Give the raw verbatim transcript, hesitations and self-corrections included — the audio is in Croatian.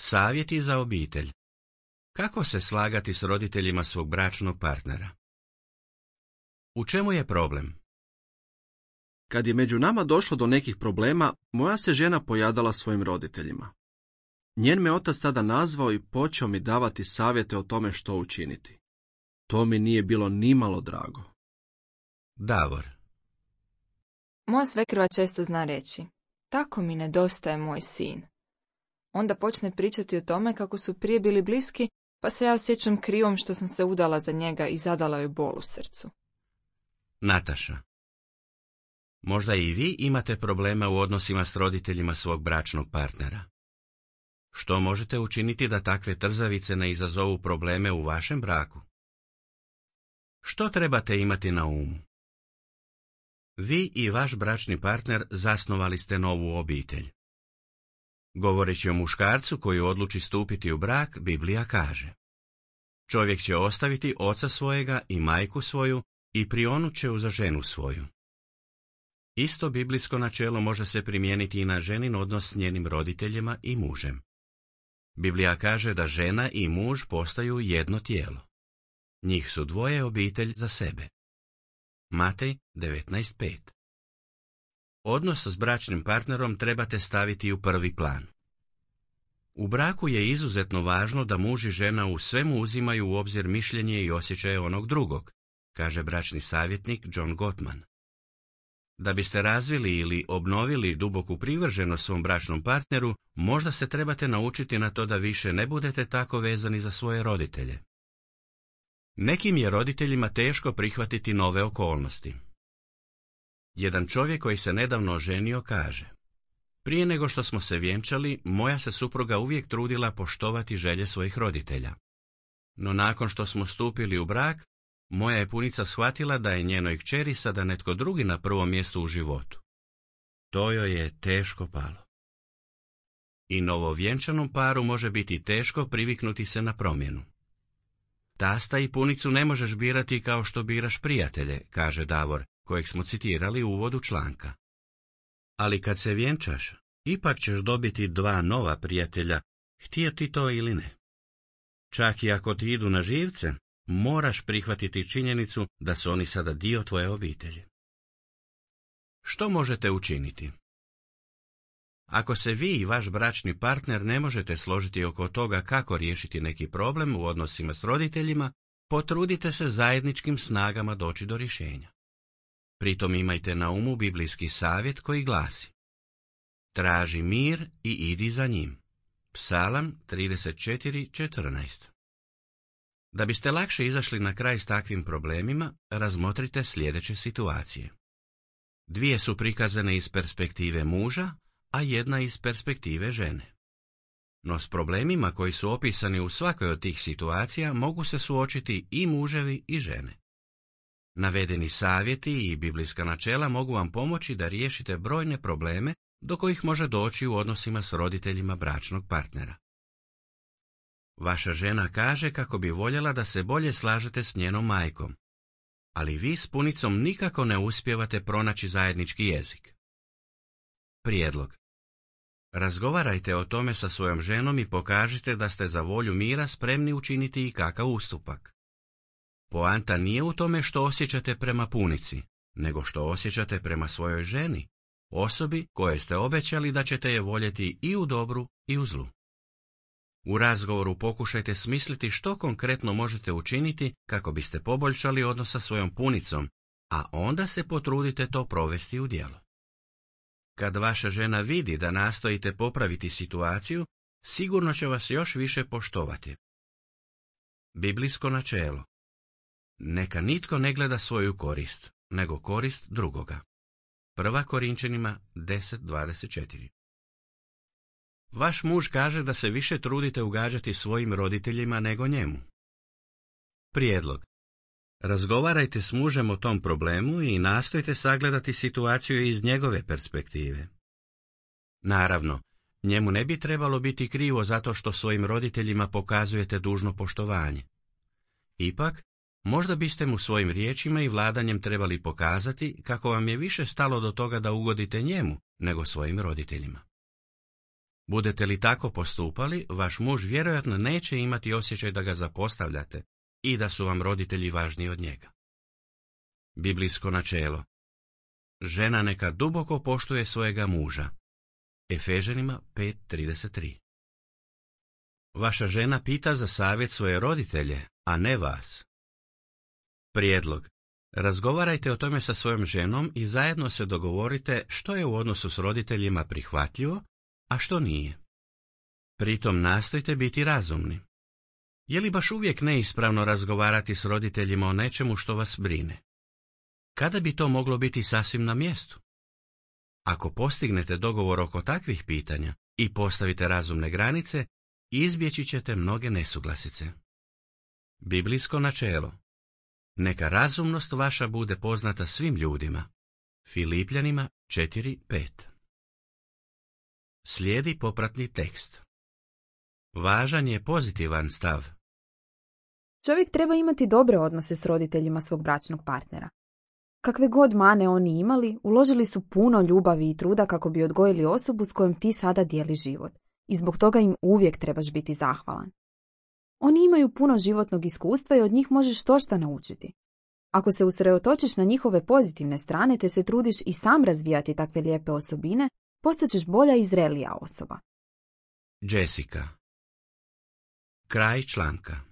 Savjeti za obitelj. Kako se slagati s roditeljima svog bračnog partnera? U čemu je problem? Kad je među nama došlo do nekih problema, moja se žena pojadala svojim roditeljima. Njen me otac tada nazvao i počeo mi davati savjete o tome što učiniti. To mi nije bilo nimalo drago. Davor. Moja svekrva često zna reći, tako mi nedostaje moj sin. Onda počne pričati o tome kako su prije bili bliski, pa se ja osjećam krivom što sam se udala za njega i zadala joj bol u srcu. Nataša. Možda i vi imate problema u odnosima s roditeljima svog bračnog partnera. Što možete učiniti da takve trzavice ne izazovu probleme u vašem braku? Što trebate imati na umu? Vi i vaš bračni partner zasnovali ste novu obitelj. Govoreći o muškarcu koji odluči stupiti u brak, Biblija kaže: čovjek će ostaviti oca svojega i majku svoju i prionut će uza ženu svoju. Isto biblijsko načelo može se primijeniti i na ženin odnos s njenim roditeljima i mužem. Biblija kaže da žena i muž postaju jedno tijelo. Njih su dvoje obitelj za sebe. Matej devetnaest pet. Odnos s bračnim partnerom trebate staviti u prvi plan. U braku je izuzetno važno da muž i žena u svemu uzimaju u obzir mišljenje i osjećaje onog drugog, kaže bračni savjetnik John Gottman. Da biste razvili ili obnovili duboku privrženost svom bračnom partneru, možda se trebate naučiti na to da više ne budete tako vezani za svoje roditelje. Nekim je roditeljima teško prihvatiti nove okolnosti. Jedan čovjek koji se nedavno oženio kaže: prije nego što smo se vjenčali, moja se supruga uvijek trudila poštovati želje svojih roditelja. No nakon što smo stupili u brak, moja je punica shvatila da je njenoj kćeri sada netko drugi na prvom mjestu u životu. To joj je teško palo. I novovjenčanom paru može biti teško priviknuti se na promjenu. Tasta i punicu ne možeš birati kao što biraš prijatelje, kaže Davor, kojeg smo citirali u uvodu članka. Ali kad se vjenčaš, ipak ćeš dobiti dva nova prijatelja, htio ti to ili ne. Čak i ako ti idu na živce, moraš prihvatiti činjenicu da su oni sada dio tvoje obitelji. Što možete učiniti? Ako se vi i vaš bračni partner ne možete složiti oko toga kako riješiti neki problem u odnosima s roditeljima, potrudite se zajedničkim snagama doći do rješenja. Pritom imajte na umu biblijski savjet koji glasi: traži mir i idi za njim. Psalam trideset četiri četrnaest. Da biste lakše izašli na kraj s takvim problemima, razmotrite sljedeće situacije. Dvije su prikazane iz perspektive muža, a jedna iz perspektive žene. No s problemima koji su opisani u svakoj od tih situacija mogu se suočiti i muževi i žene. Navedeni savjeti i biblijska načela mogu vam pomoći da riješite brojne probleme do kojih može doći u odnosima s roditeljima bračnog partnera. Vaša žena kaže kako bi voljela da se bolje slažete s njenom majkom, ali vi s punicom nikako ne uspijevate pronaći zajednički jezik. Prijedlog: razgovarajte o tome sa svojom ženom i pokažite da ste za volju mira spremni učiniti i kakav ustupak. Poanta nije u tome što osjećate prema punici, nego što osjećate prema svojoj ženi, osobi koje ste obećali da ćete je voljeti i u dobru i u zlu. U razgovoru pokušajte smisliti što konkretno možete učiniti kako biste poboljšali odnos sa svojom punicom, a onda se potrudite to provesti u djelo. Kad vaša žena vidi da nastojite popraviti situaciju, sigurno će vas još više poštovati. Biblijsko načelo: neka nitko ne gleda svoju korist, nego korist drugoga. Prva Korinčanima deset dvadeset četiri. Vaš muž kaže da se više trudite ugađati svojim roditeljima nego njemu. Prijedlog: razgovarajte s mužem o tom problemu i nastojte sagledati situaciju iz njegove perspektive. Naravno, njemu ne bi trebalo biti krivo zato što svojim roditeljima pokazujete dužno poštovanje. Ipak, možda biste mu svojim riječima i vladanjem trebali pokazati kako vam je više stalo do toga da ugodite njemu nego svojim roditeljima. Budete li tako postupali, vaš muž vjerojatno neće imati osjećaj da ga zapostavljate i da su vam roditelji važniji od njega. Biblijsko načelo. Žena neka duboko poštuje svojega muža. Efežanima pet trideset tri. Vaša žena pita za savjet svoje roditelje, a ne vas. Prijedlog. Razgovarajte o tome sa svojom ženom i zajedno se dogovorite što je u odnosu s roditeljima prihvatljivo, a što nije. Pritom nastojte biti razumni. Je li baš uvijek neispravno razgovarati s roditeljima o nečemu što vas brine? Kada bi to moglo biti sasvim na mjestu? Ako postignete dogovor oko takvih pitanja i postavite razumne granice, izbjeći ćete mnoge nesuglasice. Biblijsko načelo. Neka razumnost vaša bude poznata svim ljudima. Filipljanima četiri pet. Slijedi popratni tekst. Važan je pozitivan stav. Čovjek treba imati dobre odnose s roditeljima svog bračnog partnera. Kakve god mane oni imali, uložili su puno ljubavi i truda kako bi odgojili osobu s kojom ti sada dijeli život. I zbog toga im uvijek trebaš biti zahvalan. Oni imaju puno životnog iskustva i od njih možeš štošta naučiti. Ako se usredotočiš na njihove pozitivne strane te se trudiš i sam razvijati takve lijepe osobine, postaćeš bolja i zrelija osoba. Jessica. Kraj članka.